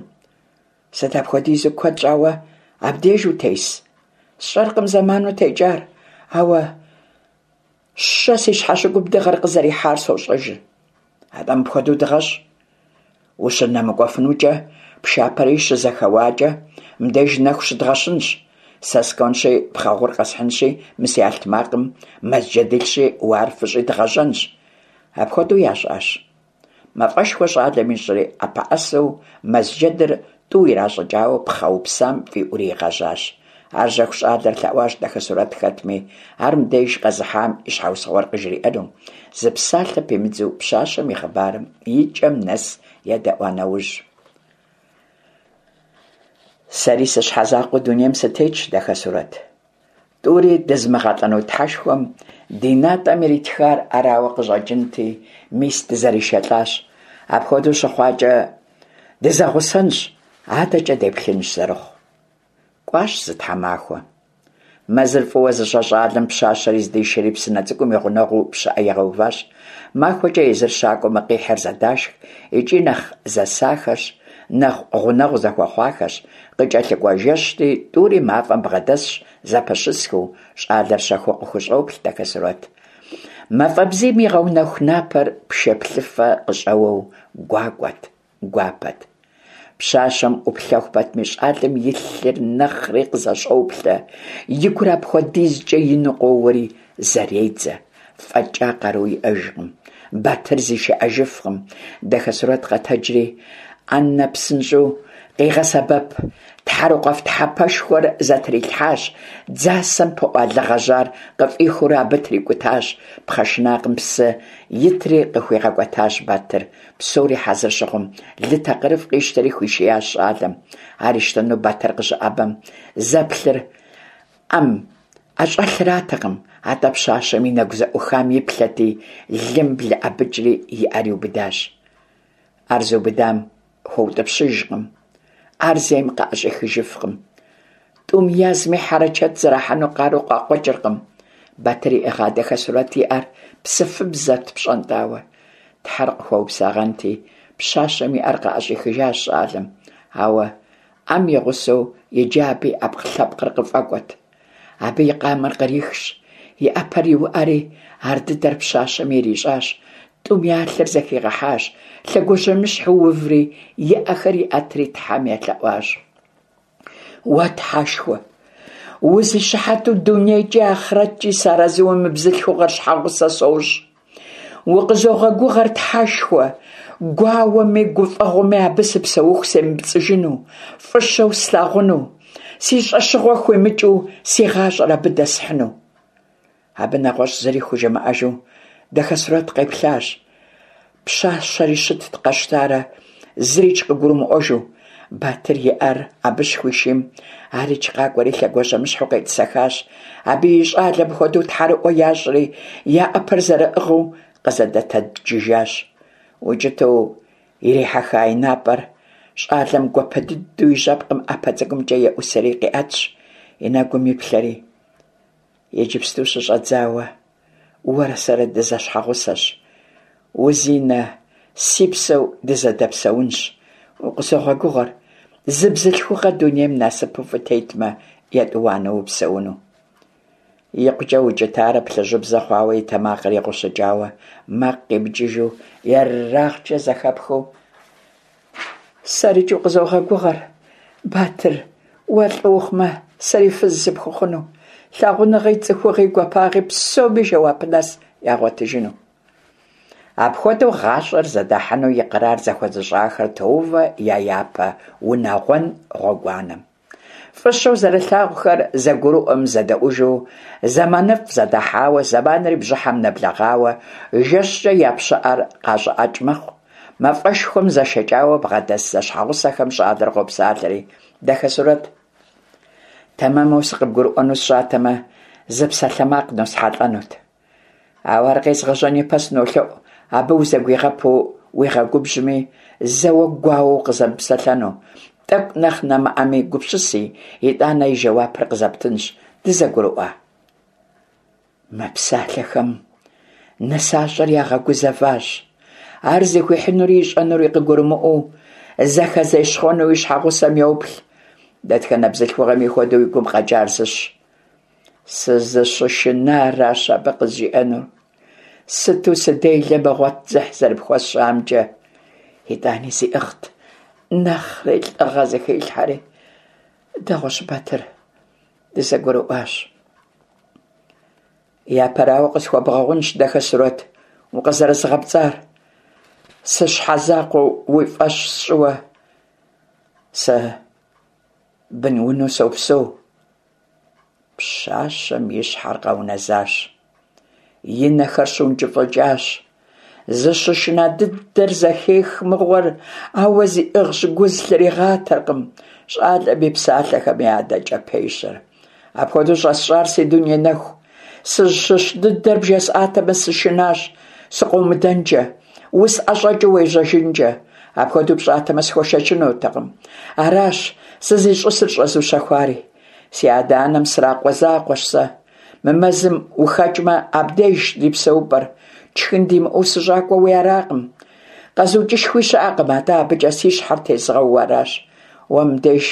Сыт апхуэдизу куэд щӏауэ абдеж утес? Сщӏэркъым зэману текӏар, ауэ щэ си щхьэщыгум дыгъэр къызэрихьар сощӏэжыр. Атӏэ мыпхуэдэу дыгъэщӏ. Ущынэмыкӏуэфынукӏэ, пшапэри щызэхэуакӏэ, мыбдеж нэху щыдгъэщынщ. Сэ скӏуэнщи, пхъэ гъур къэсхьынщи, мы си алътмакъым мэз джэд илъщи, уэ ар фыщӏи дгъэжьэнщ. Апхуэдэу ящӏащ. Мафӏэшхуэ щӏалэм ищӏри, ӏэпэӏэсэу мэз джэдыр тӏу иращӏыкӏауэ пхъэ упсам фӏиӏури игъэжьащ. Ар жьэху щӏалэр лъэӏуащ Дахэсурэт хэтми, ар мыбдеж къэзыхьам и щхьэусыгъуэр къыжриӏэну. Зы псалъэ пимыдзу пщащэм и хъыбарым и кӏэм нэс едэӏуа нэужь. Сэри сыщхьэзакъуэу дунейм сытетщ, Дахэсурэт. Тӏури дызымыгъэлӏэну Тхьэшхуэм ди натӏэм иритхар арауэ къыщӏэкӏынти, мис дызэришэлӏащ. Апхуэдэу щыхъуакӏэ, дызэгъусэнщ, адэкӏэ деплъынщ зэрыхъу. Кӏуащ зы тхьэмахуэ. Мэзыр фӏыуэ зыщӏэ щӏалэм пщащэри здишэри псынэ цӏыкӏум и гъунэгъуу пщыӏэ игъэуващ. Махуэкӏэ езыр щакӏуэмэ, къихьыр зэдашх, икӏи нэхъ зэсахэщ, нэхъ гъунэгъу зэхуэхъуахэщ. Къыкӏэлъыкӏуэ жэщти, тӏури мафӏэм бгъэдэсщ, зэпэщысхэу, щӏалэр щэхуу къыхущӏоплъ Дахэсурэт. Мафӏэ бзийм игъэунэху напэр пшэплъыфэ къыщӏэуэу гуакӏуэт, гуапэт. Пщащэм ӏуплъэху пэтми, щӏалэм и лъыр нэхъри къызэщӏоплъэ, и гур апхуэдизкӏэ ину къоуэри зэредзэ. Фӏэкӏа къару иӏэжкъым. Батыр зишыӏэжыфкъым. Дахэсурэт къэтэджри, ӏэнэ псынщӏэу къигъэсэбэп тхьэрыкъуэф тхьэпэшхуэр зэтрилъхьащ, дзасэм пыӏуа лы гъэжьар къыфӏихыурэ абы трикӏутащ, пхъэ шынакъым псы итри къыхуигъэкӏуэтащ Батыр. Псори хьэзыр щыхъум, лы такъырыфӏ къищтэри хуишиящ щӏалэм. Ар ищтэну Батыр къыщыӏэбэм, зэплъыр ӏэм ӏэщӏэлъыратэкъым, атӏэ пщащэм и нэгу зэӏухам иплъэти, лым блэӏэбыкӏри и ӏэр иубыдащ. Ар зыубыдам хуэутӏыпщыжкъым, ар зейм къыӏэщӏихыжыфкъым. Тӏум язми хьэрэчэт зэрахьэну къару къакъуэкӏыркъым. Батыр иӏыгъа Дахэсурэт и ӏэр псыфыбзэт пщӏэнтӏауэ. Тхьэр къыхуэупсагъэнти, пщащэм и ӏэр къыӏэщӏихыжащ щӏалэм. Ауэ ӏэм и гъусэу иджы абы и ӏэпкълъэпкъыр къыфӏэкӏуэт. Абы и къамэр кърихщ, и ӏэпэр иуӏэри, ар дыдэр пщащэм ирищӏащ. Тӏум я лъыр зэхигъэхьащ, лъэгуажьэмыщхьэу уври, и ӏэхэр иӏэтри Тхьэм елъэӏуащ. Уэ Тхьэшхуэ, узищыхьэту дунейкӏи ахърэткӏи сарэзыуэ мы бзылъхугъэр щхьэгъусэ сощӏ. Укъызогъэгугъэр, Тхьэшхуэ, гуауэми гуфӏэгъуэми абы сыпсэуху семыпцӏыжыну, фӏыщэу слъагъуну, си щӏэщыгъуэ хуимыкӏыу си гъащӏэр абы дэсхьыну. Абы нэгъуэщӏ зыри хужымыӏэжу Дахэсурэт къеплъащ. Пщащэри щытт къэщтарэ, зырикӏ къыгурымыӏуэжу. Батыр и ӏэр абы щыхуишийм, арикӏ къакӏуэри лъэгуажьэмыщхьэу къетӏысэхащ. Абы и щӏалэм хуэдэу тхьэрыӏуэ ящӏри, я ӏэпэр зэрыӏыгъыу къызэдэтэджыжащ. Укӏытэу ирихьэха и напӏэр щӏалэм гуапэ дыдэу и жьэпкъым ӏэпэ цӏыкӏумкӏэ еӏусэри къиӏэтщ, и нэгум иплъэри: «Иджыпсту щыщӏэдзауэ уэрэ сэрэ дызэщхьэгъусэщ, узинэ си псэу дызэдэпсэунщ. Укъызогъэгугъэр, зы бзылъхугъэ дунейм насыпыфӏэу тетмэ, етӏуанэу упсэуну». Икъукӏэ укӏытарэ плъыжьыбзэ хъуауэ, и тэмакъыр игъущыкӏауэ, макъ къимыкӏыжу, ерагъкӏэ зэхэпхыу: «Сэрикӏ укъызогъэгугъэр, Батыр, уэ лӏы ухъумэ, сэри фыз сыпхуэхъуну, лъагъуныгъи, цӏыхугъи, гуапагъи псоми жэуап нэс ягъуэтыжыну». Апхуэдэу гъащӏэр зэдахьыну икърар зэхуэзыщӏахэр тоувэ я япэ унагъуэн гъуэгуанэм. Фӏыщэу зэрылъагъухэр зэгурыӏуэм зэдэӏужу зэманыфӏ зэдахьауэ, зэманри бжьыхьэм нэблэгъауэ, жэщкӏэ я пщыӏэр къащӏыӏэкӏ мэхъу. Мафӏэшхуэм зэшэкӏауэ бгъэдэс зэщхьэгъусэхэм щӏалэр къопсалъэри: «Дахэсурэт, тэмэму сыкъыбгурыӏуэну сщӏатэмэ, зы псалъэмакъ носхьэлӏэнут. Ауэ ар къезгъэжьэн ипэ сынолъэӏу абы узэгуигъэпу уигъэгубжьми, зэуэ гуауэу къызэмыпсэлъэну. Тӏэкӏу нэхъ нэмыӏэми гупсыси, итӏанэ и жэуапыр къызэптынщ. Дызэгурыӏуа?» Мы псалъэхэм нысащӏэр ягъэгузэващ. Ар зыхуихьынури ищӏэнури къыгурымыӏуэу, зэхэзещхъуэну и щхьэгъусэм йоплъ. Дэтхэнэ бзылъхугъэми хуэдэу и гум къэкӏар зыщ: «Сызыщышынаращ абы къызжиӏэнур. Сыту сыделэ мыгъуэт дзыхь зэрыпхуэсщӏамкӏэ». Итӏани зиӏыгът, нэхъри лӏыгъэ зыхилъхьэри: «Дэгъуэщ, Батыр, дызэгурыӏуащ». «Япэрауэ, къысхуэбгъэгъунщ, Дахэсурэт, укъызэрызгъэпцӏар, сыщхьэзакъуэу уи фӏэщ сщӏыуэ. Сэ бынунэу сопсэу». Пщащэм и щхьэр къэунэзащ, и нэхэр щыункӏыфӏыкӏащ. Зыщышына дыдэр зэхех мыгъуэр, ауэ зиӏыгъщ, гу зылъригъатэркъым. Щӏалэм и псалъэхэми адэкӏэ пещэр: «Апхуэдэу щӏэсщӏар, си дуней нэху, сызыщыщ дыдэр бжесӏатэмэ, сышынащ сыкъыумыдэнкӏэ, усӏэщӏэкӏыу уежьэжынкӏэ. Апхуэдэу пщӏатэмэ, схуэшэчынутэкъым. Аращ сызищӏысыр щӏэзущэхуари. Си адэ-анэм сракъуэ закъуэщ сэ. Мы мэзым ухэкӏмэ, абдежщ ди псэупӏэр. Тшхын димыӏэу сыщӏакӏуэуи аракъым. Къэзукӏышхуи щыӏэкъым, атӏэ абыкӏэ си щхьэр тезгъэууэ аращ. Уэ мыбдеж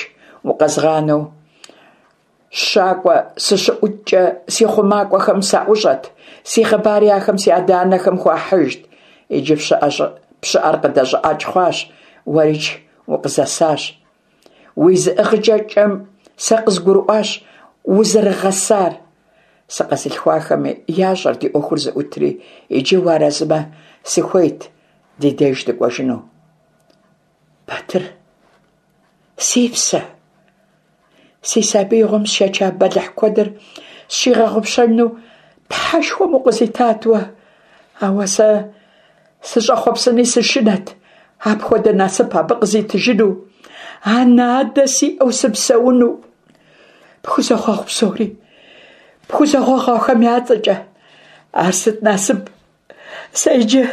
укъэзгъанэу щакӏуэ сыщыӏукӏкӏэ си хъумакӏуэхэм саӏущӏэт, си хъыбари ахэм си адэ-анэхэм хуахьыжт. Иджы пщыӏэр къыдэщӏыӏэкӏ хъуащ, уэрикӏ укъызэсащ. Уи зыӏыгъыкӏэкӏэм сэ къызгурыӏуащ узэрыгъэсар. Сыкъэзылъхуахэми ящӏэр ди ӏуэхур зыӏутри, иджы уарэзымэ, сыхуейт ди деж дыкӏуэжыну. Батыр, си псэ, си сабиигъуэм сшэча бэлыхь куэдыр сщигъэгъупщэну Тхьэшхуэм укъызитат уэ. Ауэ сэ сыщӏэхъуэпсыни сышынэт апхуэдэ насып абы къызитыжыну, анэ-адэ сиӏэу сыпсэуну. Пхузохъуэхъу псори, пхузохъуэхъуахэм я цӏэкӏэ. Ар сыт насып, сэ иджы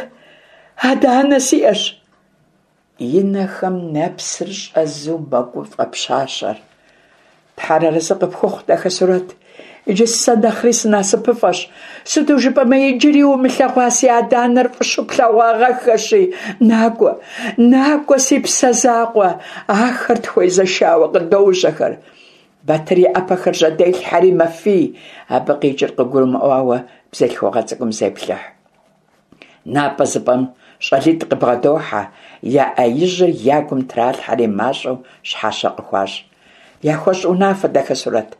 адэ-анэ сиӏэщ». И нэхэм нэпсыр щӏэзу мэгуфӏэ пщащэр. «Тхьэр арэзы къыпхухъу, Дахэсурэт, иджы сэ нэхъри сынасыпыфӏэщ. Сыту жыпӏэмэ, иджыри умылъэгъуа си адэ-анэр фӏыщэу плъэгъуагъэххэщи, накӏуэ, накӏуэ, си псэ закъуэ, ахэр тхуезэшауэ къыдожьэхэр». Батыр и ӏэпэхэр жьэделъхьэри мэфий, абы къикӏыр къыгурымыӏуауэ бзылъхугъэ цӏыкӏум зеплъыхь. Напӏэ зыпӏэм щӏалитӏ къыбгъэдохьэ, я ӏэ ижьыр я гум тралъхьэри мащӏэу щхьэщэ къыхуащӏ. «Яхуэщӏ унафэ, Дахэсурэт,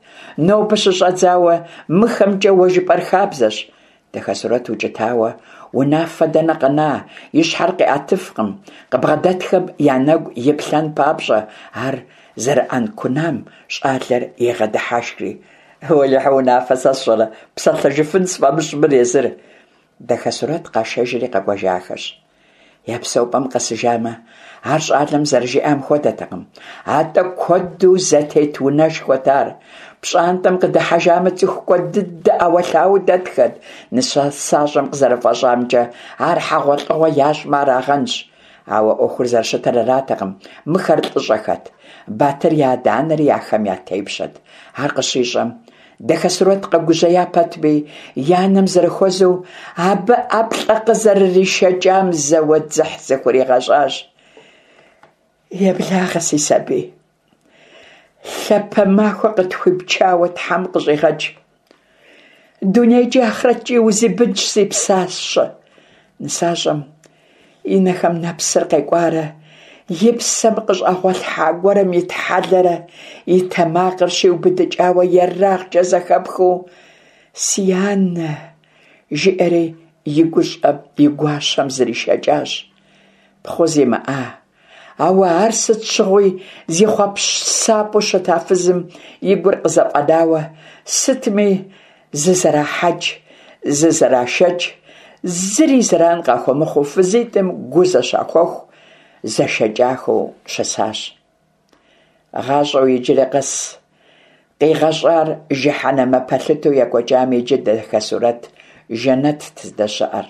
нобэ щыщӏэдзауэ мыхэмкӏэ уэ жыпӏэр хабзэщ». Дахэсурэт укӏытауэ, унафэ дэнэ къэна, и щхьэр къиӏэтыфкъым, къыбгъэдэтхэм я нэгу иплъэн папщӏэ. Ар зэрыӏэнкунам щӏалэр егъэдыхьэшхри: «Уэлэхьи, унафэ сэ сщӏырэ, псэлъэжыфын сфӏэмыщӏ мыр езыр». Дахэсурэт къашэжри къэкӏуэжахэщ. Я псэупӏэм къэсыжамэ, ар щӏалэм зэрыжиӏам хуэдэтэкъым, атӏэ куэду зэтет унэшхуэт ар. Пщӏантӏэм къыдыхьэжамэ, цӏыху куэд дыдэ ӏэуэлъауэу дэтхэт. Нысащӏэм къызэрыфӏэщӏамкӏэ, ар хьэгъуэлӏыгъуэ ящӏмэ арагъэнщ. Ауэ ӏуэхур зэрыщытыр аратэкъым, мыхэр лӏыщӏэхэт. Батыр и адэ-анэри ахэм я тепщэт. Ар къыщищӏэм, Дахэсурэт къэгужьея пэтми, и анэм зэрыхуэзэу, абы ӏэплӏэ къызэрыришэкӏам зэуэ дзыхь зыхуригъэщӏащ. Еблагъэ, си сабий. Лъапэ махуэ къытхуипчауэ Тхьэм къыщӏигъэкӏ. Дунейкӏи ахърэткӏи узибынщ, си псащэ. Нысащӏэм и нэхэм нэпсыр къекӏуарэ, и псэм къыщӏэгъуэлъхьа гуэрым итхьэлэрэ, и тэмакъыр щиубыдыкӏауэ ерагъкӏэ зэхэпхыу «Си анэ!» жиӏэри и гущӏэм и гуащэм зришэкӏащ. Пхъу зимыӏа, ауэ ар сыт щыгъуи зи хъуэпсапӏэу щыта фызым и гур къызэфӏэнауэ, сытми зызэрахьэкӏ, зызэрашэкӏ, зыри зэран къахуэмыхъуу фызитӏым гу зэщахуэху, зэшэкӏахэу щысащ. Гъащӏэу иджыри къэс къигъэщӏар жыхьэнэмэ пэлъытэу екӏуэкӏам иджы Дахэсурэт жэнэтт здэщыӏэр.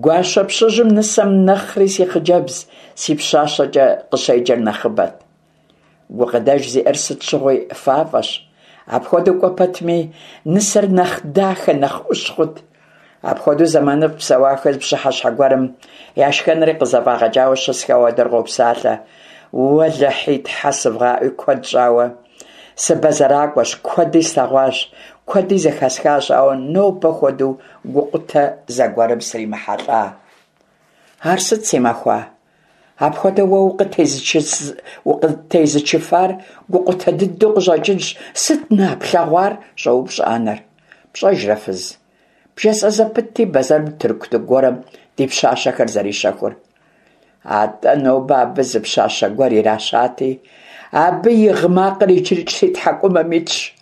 Гуащэ пщыжьым нысэм нэхъри си хъыджэбз, си пщащэкӏэ къыщеджэр нэхъыбэт. Гукъыдэж зиӏэр сыт щыгъуи фафӏэщ. Апхуэдэу кӏуэ пэтми, нысэр нэхъ дахэ, нэхъ ӏущ хъут. Апхуэдэу зэманыфӏ псэуахэр пщыхьэщхьэ гуэрым я шхэнри къызэфӏагъэкӏауэ щысхэу адэр къопсалъэ. Уэлэхьи, тхьэ сывгъаӏуи, куэд щӏауэ сыбэзэракӏуэщ, куэди слъэгъуащ, куэди зэхэсхащ, ауэ нобэ хуэдэу гукъутэ зэгуэрым сримыхьэлӏа. Ар сыт, си махуа? Апхуэдэу уэ укъытезычыфар гукъутэ дыдэу къыщӏэкӏынщ. Сыт на плъэгъуар? щӏоупщӏэ анэр. Пщӏэжрэ, фыз? Бжесӏэ зэпытти бэзэрым тырку гуэрым ди пщащэхэр зэрищэхур. Атӏэ нобэ абы зы пщащэ гуэр иращати, абы и гъы макъыр иджырикӏ си тхьэкӏумэм итщ.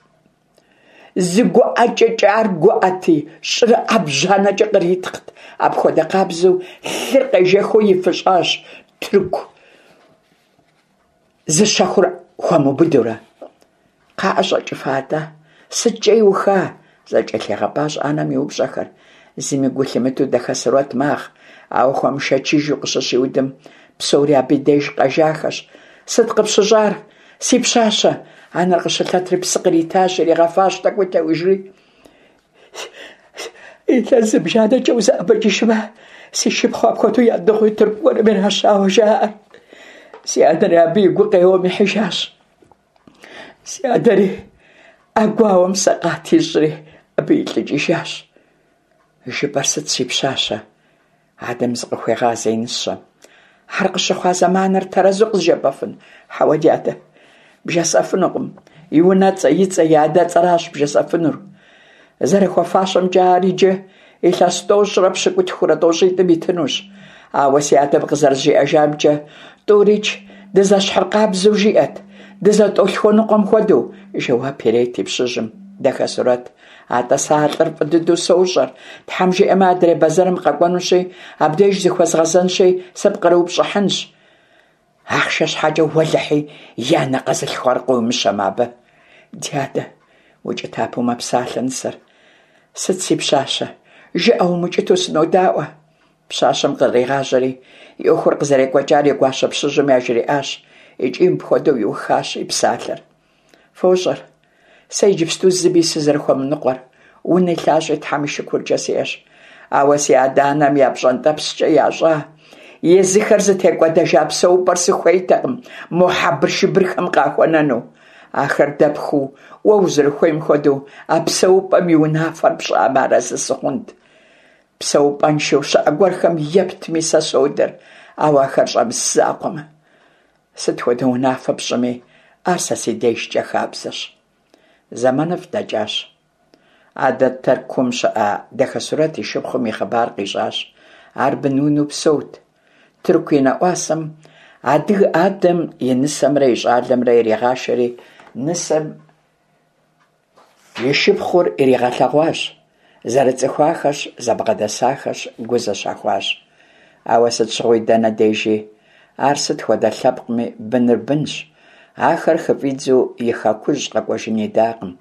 Зы гуӏэкӏэкӏэ ар гуӏэти, щӏыр ӏэбжьанэкӏэ къритхът. Апхуэдэ къабзэу лъыр къежэхыу ифыщӏащ тырку зыщэхур хуэмыубыдурэ. Кхъаӏэ щӏэкӏыфа атӏэ? Сыткӏэ иуха? Зэкӏэлъигъэпӏащ анэм и упщӏэхэр. Зыми гу лъимытэу Дахэсурэт магъ, ауэ хуэмышэчыжу къыщыщиудым, псори абы и деж къэжахэщ. Сыт къыпщыщӏар, си пщащэ? Анэр къыщылъэтри псы къритащ, иригъэфащ, тӏэкӏуи теужри. Илъэс зыбжанэкӏэ узэӏэбэкӏыжмэ, си шыпхъу апхуэдэу ядыгъуи тырку гуэрым иращауэ жаӏэр. Си адэри абы и гу къеуэм ихьыжащ. Си адэри а гуауэм сэкъат ищӏри абы илӏыкӏыжащ. Жыпӏэр сыт, си пщащэ? Адэм зыкъыхуегъазэ и нысэм. Ар къыщыхъуа зэманыр тэрэзу къызжепӏэфын? Хьэуэ, дядэ, бжесӏэфынукъым. И унэцӏэ, и цӏэ, и адэцӏэращ бжесӏэфынур. Зэрыхуэфащэмкӏэ ар иджы илъэс тӏощӏрэ пщыкӏутхурэ тӏощӏитӏым итынущ. Ауэ си адэм къызэрызжиӏэжамкӏэ, тӏурикӏ дызэщхьыркъабзэу жиӏэт, дызэтӏолъхуэныкъуэм хуэдэу, жэуап ирет и пщыжьым Дахэсурэт. Атӏэ сэ а лӏыр фӏы дыдэу сощӏэр. Тхьэм жиӏэмэ, адрей бэзэрым къэкӏуэнущи, абдеж зыхуэзгъэзэнщи, сыпкърыупщӏыхьынщ. Ахъшэ щхьэкӏэ уэлэхьи, и анэ къэзылъхуар къыуимыщэмэ абы. Дядэ, укӏытапэу мэпсалъэ нысэр. Сыт, си пщащэ? Жыӏэ умыкӏытэу сынодаӏуэ. Пщащэм къригъажьэри, и ӏуэхур къызэрекӏуэкӏар и гуащэ пщыжьым яжриӏащ икӏи мыпхуэдэу иухащ и псалъэр. Фощӏэр, сэ иджыпсту зыми сызэрыхуэмыныкъуэр, уни лъащӏи Тхьэм и шыкуркӏэ сиӏэщ. Ауэ си адэ-анэм я пщӏэнтӏэпскӏэ ящӏа, езыхэр зытекӏуэдэжа псэупӏэр сыхуейтэкъым мо хьэбыршыбырхэм къахуэнэну. Ахэр дэпхыу, уэ узэрыхуейм хуэдэу а псэупӏэм и унафэр пщӏамэ арэзы сыхъунт. Псэупӏэншэу щыӏэ гуэрхэм ептми сэ содэр, ауэ ахэр щӏэмыс закъуэмэ. Сыт хуэдэ унафэ пщӏыми, ар сэ си дежкӏэ хабзэщ. Зэманыфӏ дэкӏащ. Адэ Тыркум щыӏэ Дахэсурэт и шыпхъум и хъыбар къищӏащ. Ар бынунэу псэут. Тырку и нэӏуасэм адыгэ адэм и нысэмрэ и щӏалэмрэ иригъашэри, нысэм и шыпхъур иригъэлъэгъуащ. Зэрыцӏыхуахэщ, зэбгъэдэсахэщ, гу зэщахуащ. Ауэ сыт щыгъуи дэнэ дежи, ар сыт хуэдэ лъэпкъми быныр бынщ. Ахэр хыфӀидзэу и хэкужь къэкӀуэжын идакъым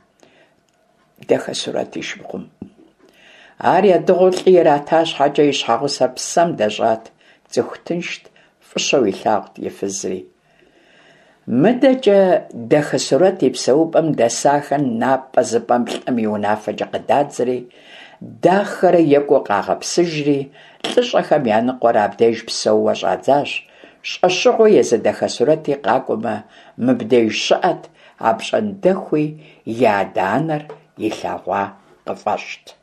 Дахэсурэт и шыпхъум. Ар ядыгъуу лӀы ирата щхьэкӀэ, и щхьэгъусэр псэм дэщӀат, цӀыху тыншт, фӀыщэу илъагъут и фызри. МыдэкӀэ Дахэсурэт и псэупӀэм дэсахэр напӀэзыпӀэм лӀым и унафэкӀэ къыдадзэри, дахэрэ екӀуу къагъэпсыжри, лӀыщӀэхэм я ныкъуэр абдеж псэууэ щӀадзащ, щӀэщыгъуэу езы Дахэсурэти къакӀуэмэ, мыбдеж щыӀэт, апщӀондэхуи и адэ-анэр илъэгъуа къыфӀэщӀт.